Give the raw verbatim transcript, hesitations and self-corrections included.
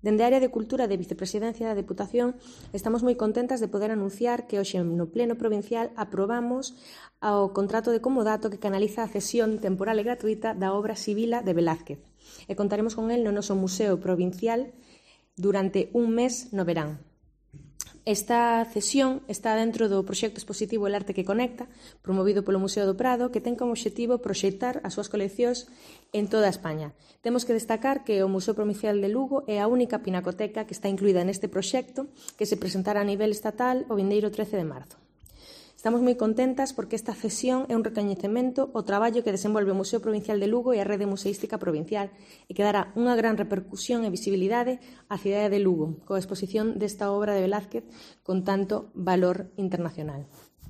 Dende a área de Cultura de Vicepresidencia da Deputación estamos moi contentas de poder anunciar que hoxe no Pleno Provincial aprobamos o contrato de comodato que canaliza a cesión temporal e gratuita da obra Sibila de Velázquez e contaremos con el no noso Museo Provincial durante un mes no verán. Esta cesión está dentro do proxecto expositivo El Arte que Conecta, promovido polo Museo do Prado, que ten como obxectivo proxectar as súas coleccións en toda España. Temos que destacar que o Museo Provincial de Lugo é a única pinacoteca que está incluída neste proxecto que se presentará a nivel estatal o vindeiro trece de marzo. Estamos moi contentas porque esta cesión é un recoñecemento ao traballo que desenvolve o Museo Provincial de Lugo e a Rede Museística Provincial e que dará unha gran repercusión e visibilidade á cidade de Lugo coa exposición desta obra de Velázquez con tanto valor internacional.